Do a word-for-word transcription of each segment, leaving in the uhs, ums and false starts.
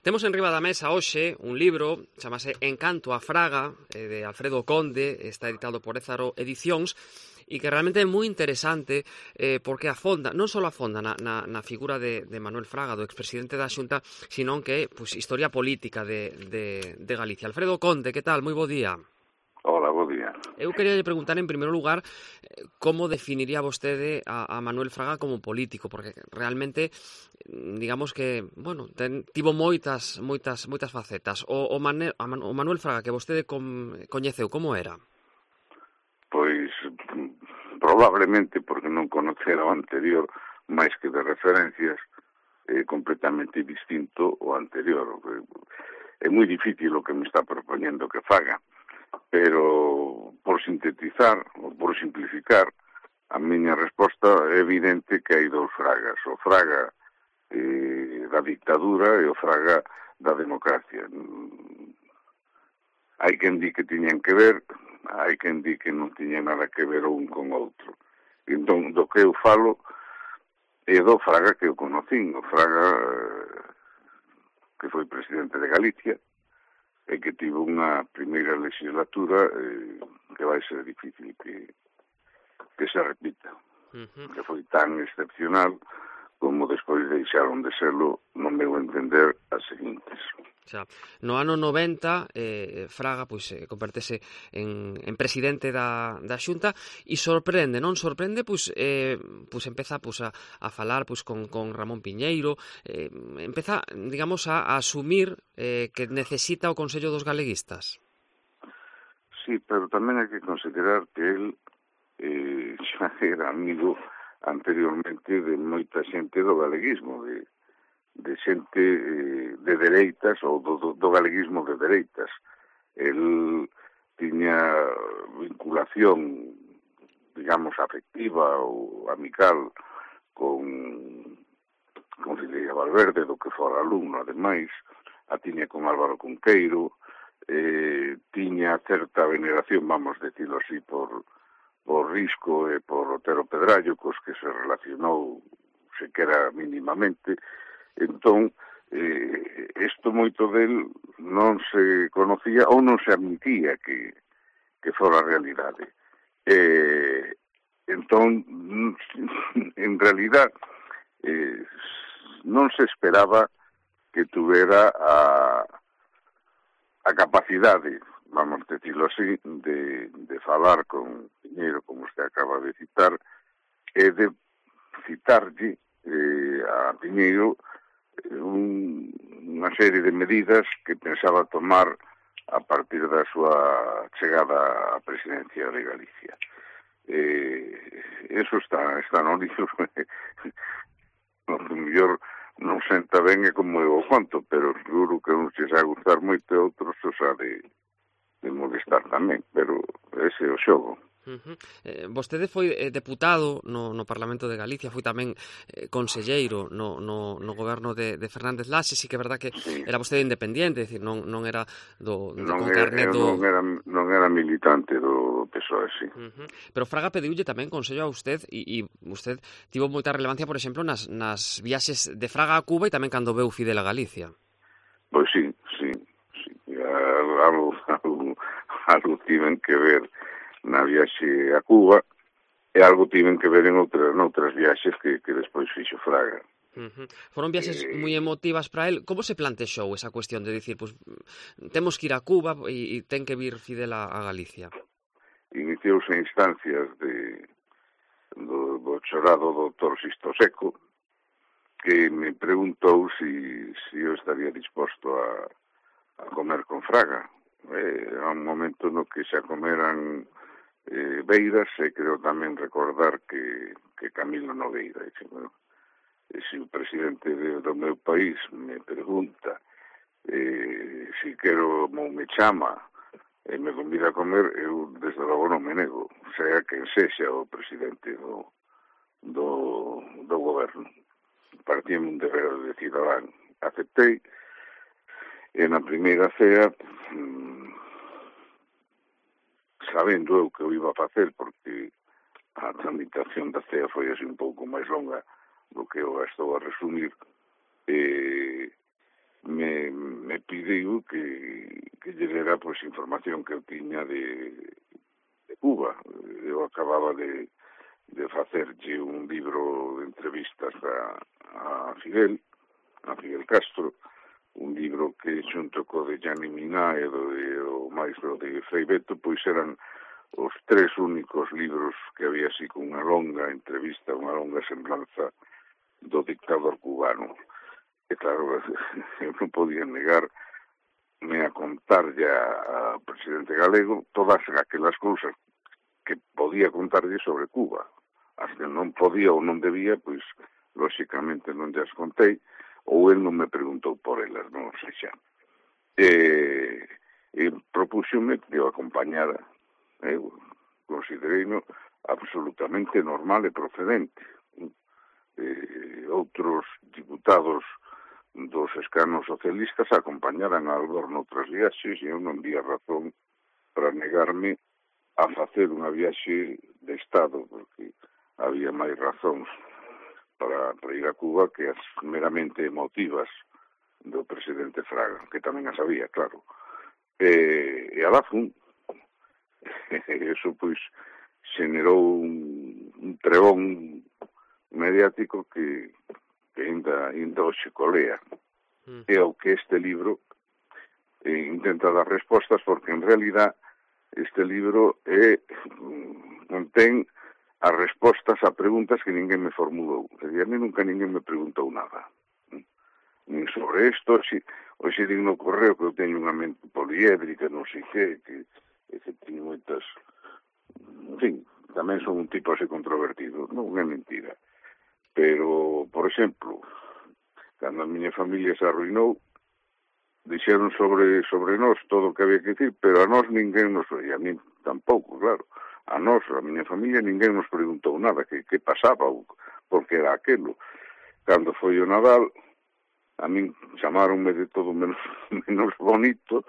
Temos en riba da mesa hoxe un libro, chamase Encanto a Fraga, eh, de Alfredo Conde, está editado por Ézaro Edicións, e que realmente é moi interesante eh, porque afonda, non só afonda na, na, na figura de, de Manuel Fraga, do expresidente da Xunta, sino que pues, historia política de, de, de Galicia. Alfredo Conde, que tal? Moi bo día. Hola, bo día. Eu quería preguntar, en primeiro lugar, como definiría vostede a, a Manuel Fraga como político, porque realmente, digamos que, bueno, ten, tivo moitas moitas moitas facetas. O, o, Mane, o Manuel Fraga que vostede com, coñeceu, como era? Pois, probablemente, porque non conocera o anterior, máis que de referencias, é completamente distinto o anterior. É moi difícil o que me está propoñendo que faga, pero por sintetizar, ou por simplificar, a miña resposta é evidente que hai dous Fragas, o Fraga eh, da dictadura e o Fraga da democracia. Hai quen di que tiñan que ver, hai quen di que non tiñan nada que ver un con outro. Entón, do que eu falo é do Fraga que eu conocín, o Fraga eh, que foi presidente de Galicia, e que tivo unha primeira legislatura eh, que vai ser difícil que, que se repita, uh-huh. que foi tan excepcional como despois deixaron de serlo, no meu entender, as seguintes. Xa, no ano noventa, eh, Fraga pois, eh, convertese en, en presidente da, da Xunta e sorprende, non sorprende, pois, eh, pois empeza pois, a, a falar pois, con, con Ramón Piñeiro, eh, empeza, digamos, a, a asumir eh, que necesita o Consello dos Galeguistas. Sí, pero tamén hai que considerar que el eh, xa era amigo anteriormente de moita xente do galeguismo, de de xente eh, de dereitas ou do, do, do galeguismo de dereitas. El tiña vinculación, digamos, afectiva ou amical con, con Filella Valverde, do que fora alumno, ademais, a tiña con Álvaro Cunqueiro, eh, tiña certa veneración, vamos decirlo así, por, por Risco e por Otero Pedrallo, cos que se relacionou sequera mínimamente. Entón, eh, isto moito del non se conocía ou non se admitía que, que fora a realidade. Eh, entón, en realidad, eh, non se esperaba que tuvera a, a capacidade, vamos decirlo así, de, de falar con Piñeiro, como usted acaba de citar, e de citarlle eh, a Piñeiro Un, unha serie de medidas que pensaba tomar a partir da súa chegada á presidencia de Galicia. Eh, eso está, está no libro. No, mellor non senta ben é como eu o conto, pero seguro que non se xa gustar moito e outros se xa de, de molestar tamén, pero ese é o xogo. Uh-huh. Eh, vostede foi eh, deputado no, no Parlamento de Galicia, foi tamén eh, conselleiro no, no, no goberno de, de Fernández Laxe, sí que é verdad que sí. Era vostede independiente, é dicir, non, non era do, de, non con era, carnet do... Non era, non era militante do P S O E, sí. Uh-huh. Pero Fraga pediulle tamén consello a usted e, e usted tivo moita relevancia, por exemplo, nas, nas viaxes de Fraga a Cuba e tamén cando veu Fidel a Galicia. Pois sí, sí, sí. Algo, algo, algo tiven que ver na viaxe a Cuba e algo tiven que ver en outras, noutras viaxes que, que despois fixo Fraga. Uh-huh. Foron viaxes eh... moi emotivas para el. Como se plantexou esa cuestión de dicir, pues, temos que ir a Cuba e, e ten que vir Fidel a, a Galicia? Iniciouse a instancias de, do, do chorado doutor Sisto Seco, que me preguntou si, si eu estaría disposto a, a comer con Fraga. Eh, a un momento no que xa comeran eh, Beiras, e creo tamén recordar que, que Camilo Nogueira. E, bueno, e se o presidente de, do meu país me pregunta eh, si quero ou me chama e me convida a comer, eu desde logo non me nego, sea quen sexa o presidente do, do, do goberno. Partíame un deber de cidadán. Aceptei, e na primeira cea, mmm, sabendo eu que eu iba a facer, porque a tramitación da cea foi así un pouco máis longa do que eu estou a resumir, eh, me, me pideu que, que lle dera pois, información que eu tiña de, de Cuba. Eu acababa de, de facerlle un libro de entrevistas a, a Fidel, a Fidel Castro, un libro que xunto co de Gianni Minà e do, de, o maestro de Frei Beto, pois eran os tres únicos libros que había así con unha longa entrevista, unha longa semblanza do dictador cubano. E claro, eu non podía negarme a contarlle ao presidente galego todas aquelas cousas que podía contarlle sobre Cuba. As que non podía ou non debía, pois, lóxicamente non as contei, ou el non me preguntou por elas, non sei xa. E, e propúxome que o acompañara, eu considereino absolutamente normal e procedente. E, outros diputados dos escanos socialistas acompañaran a Albor noutras viaxes e eu non vía razón para negarme a facer unha viaxe de Estado, porque había máis razóns para, para ir a Cuba que as meramente emotivas do presidente Fraga, que tamén as había, claro. E, e alá fun. Eso, pois, xenerou un, un trebón mediático que que ainda, ainda hoxe colea. Mm. É o que este libro eh, intenta dar respostas, porque en realidad este libro é, contén as respostas a preguntas que ninguén me formulou. E a mí nunca ninguén me preguntou nada. Nin sobre isto, si, hoxe digo no correo que eu teño unha mente poliédrica, non sei que, que, que teño moitas... En fin, tamén son un tipo así controvertido. Non é mentira. Pero, por exemplo, cando a miña familia se arruinou, dixeron sobre sobre nós todo o que había que dicir, pero a nós ninguén nos... E a mí tampouco, claro. A nós, a miña familia, ninguén nos preguntou nada, que, que pasaba, ou por que era aquelo. Cando foi o Nadal, a min chamaronme de todo menos, menos bonito,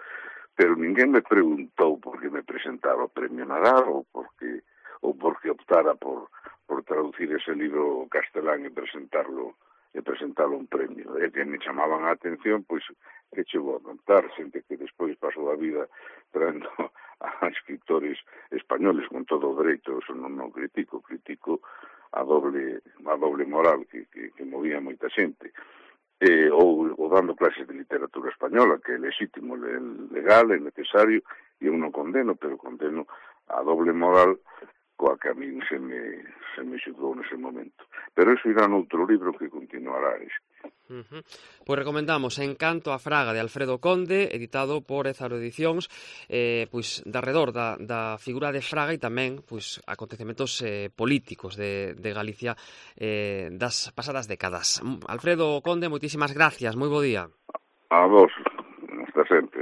pero ninguén me preguntou por que me presentaba o Premio Nadal, ou por que, ou por que optara por... por traducir ese libro castelán e presentarlo e presentarlo un premio. E que me chamaban a atención, pois, que che vou a contar, xente que despois pasou a vida traendo a escritores españoles con todo o dereito, eso non o critico, critico a doble a doble moral que, que, que movía moita xente. E, ou, ou dando clases de literatura española, que é legítimo, legal, é necesario, e eu non condeno, pero condeno a doble moral coa que a min se me, se me xudou nese momento. Pero iso irá noutro libro que continuará este. Uh -huh. Pois recomendamos Encanto a Fraga de Alfredo Conde, editado por Ézaro Edicións, eh, pois de arredor da, da figura de Fraga e tamén pois acontecementos eh, políticos de, de Galicia eh, das pasadas décadas. Alfredo Conde, moitísimas gracias, moi bo día. A vos, hasta sempre.